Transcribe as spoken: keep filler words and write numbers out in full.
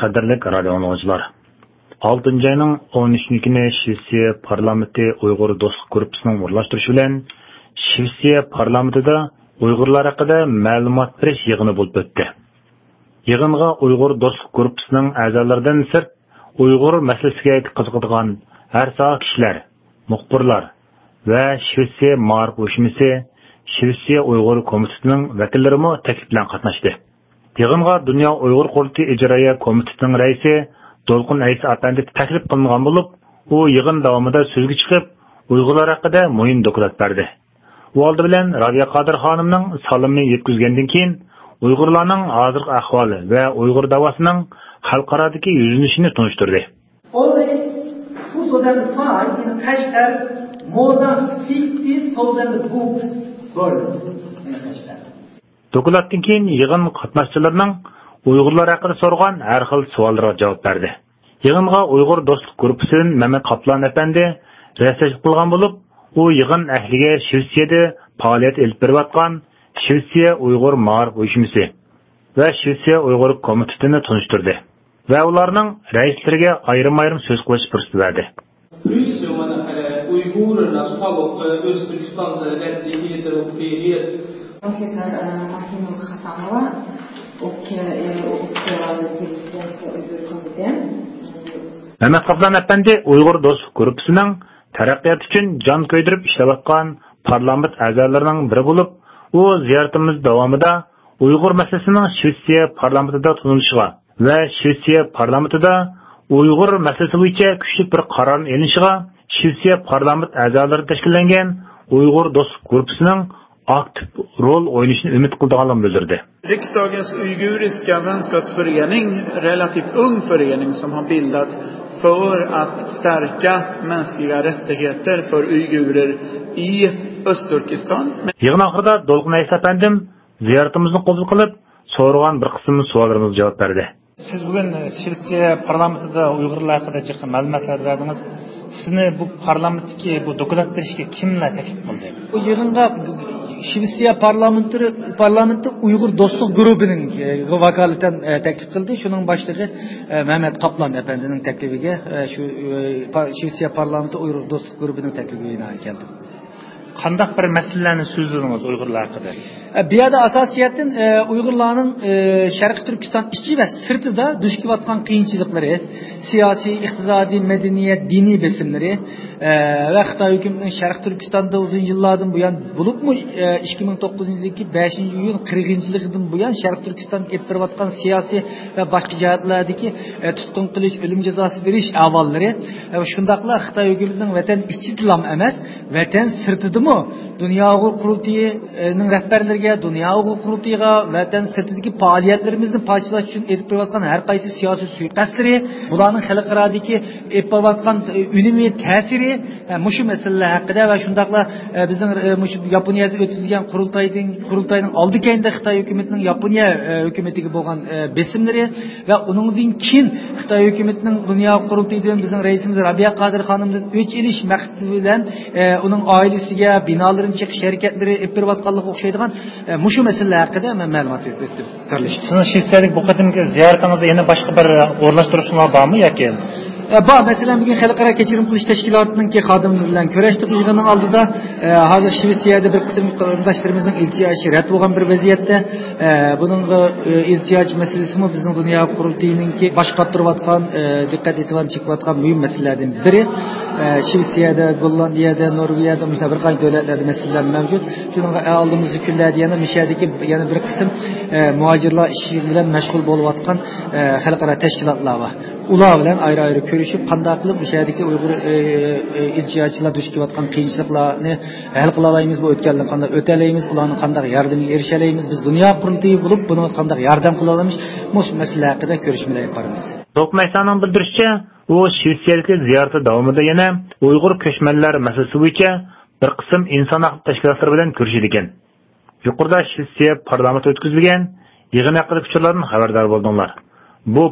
قەدىرلىك رادىئو ئاڭلىغۇچىلار! ئالتىنچى ئاينىڭ ئون ئۈچىنچى كۈنى شىۋېتسىيە پارلامېنتى ئۇيغۇر دوستلۇق گۇرۇپپىسىنىڭ ئورۇنلاشتۇرۇشى بىلەن شىۋېتسىيە پارلامېنتىدا ئۇيغۇرلار ھەققىدە مەلۇمات بېرىش يىغىنى بولۇپ ئۆتتى. يىغىنغا ئۇيغۇر دوستلۇق گۇرۇپپىسىنىڭ ئەزالىرىدىن سىرت، ئۇيغۇر مەسىلىسىگە قىزىقىدىغان ھەر ساھە كىشىلەر، مۇخبىرلار ۋە شىۋېتسىيە مائارىپ ئۇيۇشمىسى، شىۋېتسىيە ئۇيغۇر كومىتېتىنىڭ ۋەكىللىرىمۇ تەكلىپ بىلەن قاتناشتى. يىغىنغا دۇنيا ئۇيغۇر قۇرۇلتىيى ئىجرائىيە كومىتېتىنىڭ رەئىسى دولقۇن ئەيسا ئەپەندى تەكلىپ قىلىنغان بولۇپ، ئۇ يىغىن داۋامىدا سۆزگە چىقىپ، ئۇيغۇرلار ھەققىدە مۇھىم دوكلات بەردى. ئۇ ئالدى بىلەن رابىيە قادىر خانىمنىڭ سالىمىنى يەتكۈزگەندىن كېيىن، ئۇيغۇرلارنىڭ ھازىرقى ئەھۋالى ۋە ئۇيغۇر داۋاسىنىڭ خەلقئارادىكى يۈزلىنىشىنى تونۇشتۇردى. Only two thousand five in Kashgar, more than fifty thousand books burned in Kashgar. دوكلاتتىن كېيىن يىغىن قاتناشچىلىرىنىڭ ئۇيغۇرلار ھەققىدە سورىغان ھەر خىل سوئاللىرىغا جاۋاب بەردى. يىغىنغا ئۇيغۇر دوستلۇق گۇرۇپپىسىدىن مەمەت قاپلان ئەپەندى رىياسەتچىلىك قىلغان بولۇپ، ئۇ يىغىن ئەھلىگە شىۋېتسىيەدە پائالىيەت ئېلىپ بېرىۋاتقان شىۋېتسىيە ئۇيغۇر مائارىپ ئۇيۇشمىسى ۋە شىۋېتسىيە ئۇيغۇر كومىتېتىنى تونۇشتۇردى ۋە ئۇلارنىڭ رەئىسلىرىگە ئايرىم-ئايرىم سۆز قىلىش پۇرسىتى بەردى. Plus, mana, hali uyg'urlarni soliq, O'zbekiston rättigheter och frihet. Professor, eh, Martina Hasanova och, eh, och Svenska Uygurkommittén. مەمەت قاپلان ئەپەندى ئۇيغۇر دوستلۇق گۇرۇپپىسىنىڭ تەرەققىيات ئۈچۈن جان كۆيدۈرۈپ ئىشلەۋاتقان پارلامېنت ئەزالىرىنىڭ بىرى بولۇپ، ئۇ زىيارىتىمىز داۋامىدا ئۇيغۇر مەسىلىسىنىڭ شىۋېتسىيە پارلامېنتىدا تونۇلۇشىغا ۋە شىۋېتسىيە پارلامېنتىدا ئۇيغۇر مەسىلىسى بويىچە كۈچلۈك بىر قارارنىڭ ئېلىنىشىغا شىۋېتسىيە پارلامېنت ئەزالىرى تەشكىللەنگەن ئۇيغۇر دوستلۇق گۇرۇپپىسىنىڭ ئاكتىپ رول ئوينىشىنى ئۈمىد قىلىدىغانلىقىنى بىلدۈردى. Riksdagens uiguriska vänskapsförening relativt ung förening som har bildats för att stärka mänskliga rättigheter för uigurer i Östturkestan. يىغىن ئاخىرىدا دولقۇن ئەيسا ئەپەندىم زىيارىتىمىزنى قوبۇل قىلىپ، سورىغان بىر قىسىم سوئاللىرىمىزغا جاۋاب بەردى. سىز بۈگۈن شىۋېتسىيە پارلامېنتىدا ئۇيغۇرلار ھەققىدە جىق مەلۇماتلار بەردىڭىز. سىزنى بۇ پارلامېنتتىكى بۇ دوكلات بېرىشكە كىملەر تەكلىپ قىلدى؟ بۇ يىغىنغا شىۋېتسىيە پارلامېنتى، پارلامېنتى ئۇيغۇر دوستلۇق گۇرۇپپىنىڭ، ئە، ۋاكالىتەن، ئە، تەكلىپ قىلدى. شۇنىڭ باشلىقى، ئە، مەمەت قاپلان ئەپەندىنىڭ تەكلىپىگە، ئە، شۇ، ئە، پا-، شىۋېتسىيە پارلامېنتى ئۇيغۇر دوستلۇق گۇرۇپپىنىڭ تەكلىپىگە بىنائەن كەلدىم. قانداق بىر مەسىلىلەرنى سۆزلىدىڭىز ئۇيغۇرلار ھەققىدە؟ ئە، بۇ يەردە ئاساسىي جەھەتتىن، ئە، ئۇيغۇرلارنىڭ، ئە، شەرقىي تۈركىستان ئىچى ۋە سىرتىدا دۇچ كېلىۋاتقان قىيىنچىلىقلىرى، سىياسىي، ئىقتىسادىي، مەدەنىيەت، دىنىي بېسىملىرى، ئە، ۋە خىتاي ھۆكۈمىتىنىڭ شەرقىي تۈركىستاندا ئۇزۇن يىللاردىن بۇيان، بولۇپمۇ، ئە، ئىككى مىڭ توققۇزىنچى يىلدىكى بەشىنچى ئىيۇن قىرغىنچىلىقىدىن بۇيان شەرقىي تۈركىستاندا ئېلىپ بېرىۋاتقان سىياسىي ۋە باشقا جەھەتلەردىكى، ئە، تۇتقۇن قىلىش، ئۆلۈم جازاسى بېرىش ئەھۋاللىرى، ئە، شۇنداقلا خىتاي ھۆكۈمىتىنىڭ ۋەتەن ئىچىدىلا ئەمەس، ۋەتەن سىرتىدىمۇ دۇنيا ئۇيغۇر قۇرۇلتىيىنىڭ رەھبەرلىرىگە، دۇنيا ئۇيغۇر قۇرۇلتىيىغا ۋەتەن سىرتىدىكى پائالىيەتلىرىمىزنى پارچىلاش ئۈچۈن ئېلىپ بېرىۋاتقان ھەر قايسى سىياسىي سۇيىقەستلىرى، بۇلارنىڭ خەلقئارادىكى ئېلىپ بېرىۋاتقان ئۈنۈمى، تەسىرى، ھە، مۇشۇ مەسىلىلەر ھەققىدە ۋە شۇنداقلا، ئە، بىزنىڭ، ئە، مۇشۇ ياپونىيەدە ئۆتكۈزۈلگەن قۇرۇلتايدىن، قۇرۇلتاينىڭ ئالدى كەينىدە خىتاي ھۆكۈمىتىنىڭ ياپونىيە، ئە، ھۆكۈمىتىگە بولغان، ئە، بېسىملىرى، ۋە ئۇنىڭدىن كېيىن خىتاي ھۆكۈمىتىنىڭ دۇنيا قۇرۇلتىيىدىن بىزنىڭ رەئىسىمىز رابىيە قادىر خانىمدىن ئۆچ ئېلىش مەقسىتى بىلەن، ئە، ئۇنىڭ ئائىلىسىگە، بىنالىرىنى چېقىش ھەرىكەتلىرى ئېلىپ بېرىۋاتقانلىقىغا ئوخشايدىغان، ئە، مۇشۇ مەسىلىلەر ھەققىدە مەن مەلۇمات بېرىپ ئۆتتۈم. سىزنىڭ شىۋېتسىيەدىكى بۇ قېتىمقى زىيارىتىڭىزدا يەنە باشقا بىر ئورۇنلاشتۇرۇشلار بارمۇ ياكى؟ ئە، بار. مەسىلەن، بۈگۈن خەلقئارا كەچۈرۈم قىلىش تەشكىلاتىنىڭكى خادىملىرى بىلەن كۆرۈشتۇق يىغىننىڭ ئالدىدا. ئە، ھازىر شىۋېتسىيەدە بىر قىسىم قېرىنداشلىرىمىزنىڭ ئىلتىجا ئىشى رەت بولغان بىر ۋەزىيەتتە. ئە، بۇنىڭغا، ئە، ئىلتىجاچى مەسىلىسىمۇ بىزنىڭ دۇنيا قۇرۇلتىيىنىڭكى باش قاتۇرۇۋاتقان، ئە، دىققەت ئېتىبارنى چېكىۋاتقان مۇھىم مەسىلىلەردىن بىرى. ئە، شىۋېتسىيەدە، گوللاندىيەدە، نورۋېگىيەدە مۇشۇنداق بىر قانچە دۆلەتلەردە مەسىلىلەر مەۋجۇت. شۇنىڭغا ئالدىمىزدىكى كۈنلەردە يەنە مۇشۇ يەردىكى يەنە بىر قىسىم، ئە، مۇھاجىرلار ئىشى بىلەن مەشغۇل بولۇۋاتقان، ئە، خەلقئارا تەشكىلاتلار بار. ئۇلار بىلەن ئايرى-ئايرى كۆرۈشۈپ، قانداق قىلىپ مۇشۇ يەردىكى ئۇيغۇر، ئە، ئە، ئىلتىجاچىلار دۇچ كېلىۋاتقان قىيىنچىلىقلارنى ھەل قىلالايمىز، بۇ ئۆتكەلدىن قانداق ئۆتەلەيمىز، ئۇلارنىڭ قانداق ياردىمىگە ئېرىشەلەيمىز، بىز دۇنيا قۇرۇلتىيى بولۇپ، بۇنىڭغا قانداق ياردەم قىلالايمىز، مۇشۇ مەسىلە ھەققىدە كۆرۈشمىلەر ئېلىپ بارىمىز. توقمەيساننىڭ بىلدۈرۈشىچە، ئۇ شىۋېتسىيەدىكى زىيارىتى داۋامىدا يەنە ئۇيغۇر كۆچمەنلەر مەسىلىسى بويىچە بىر قىسىم ئىنسان ھەققى تەشكىلاتلىرى بىلەن كۆرۈشىدىكەن. يۇقىرىدا شىۋېتسىيە پارلامېنتى ئۆتكۈزۈلگەن يىغىن ھەققىدىكى ئۇچۇرلاردىن خەۋەردار بولدۇڭلار. بۇ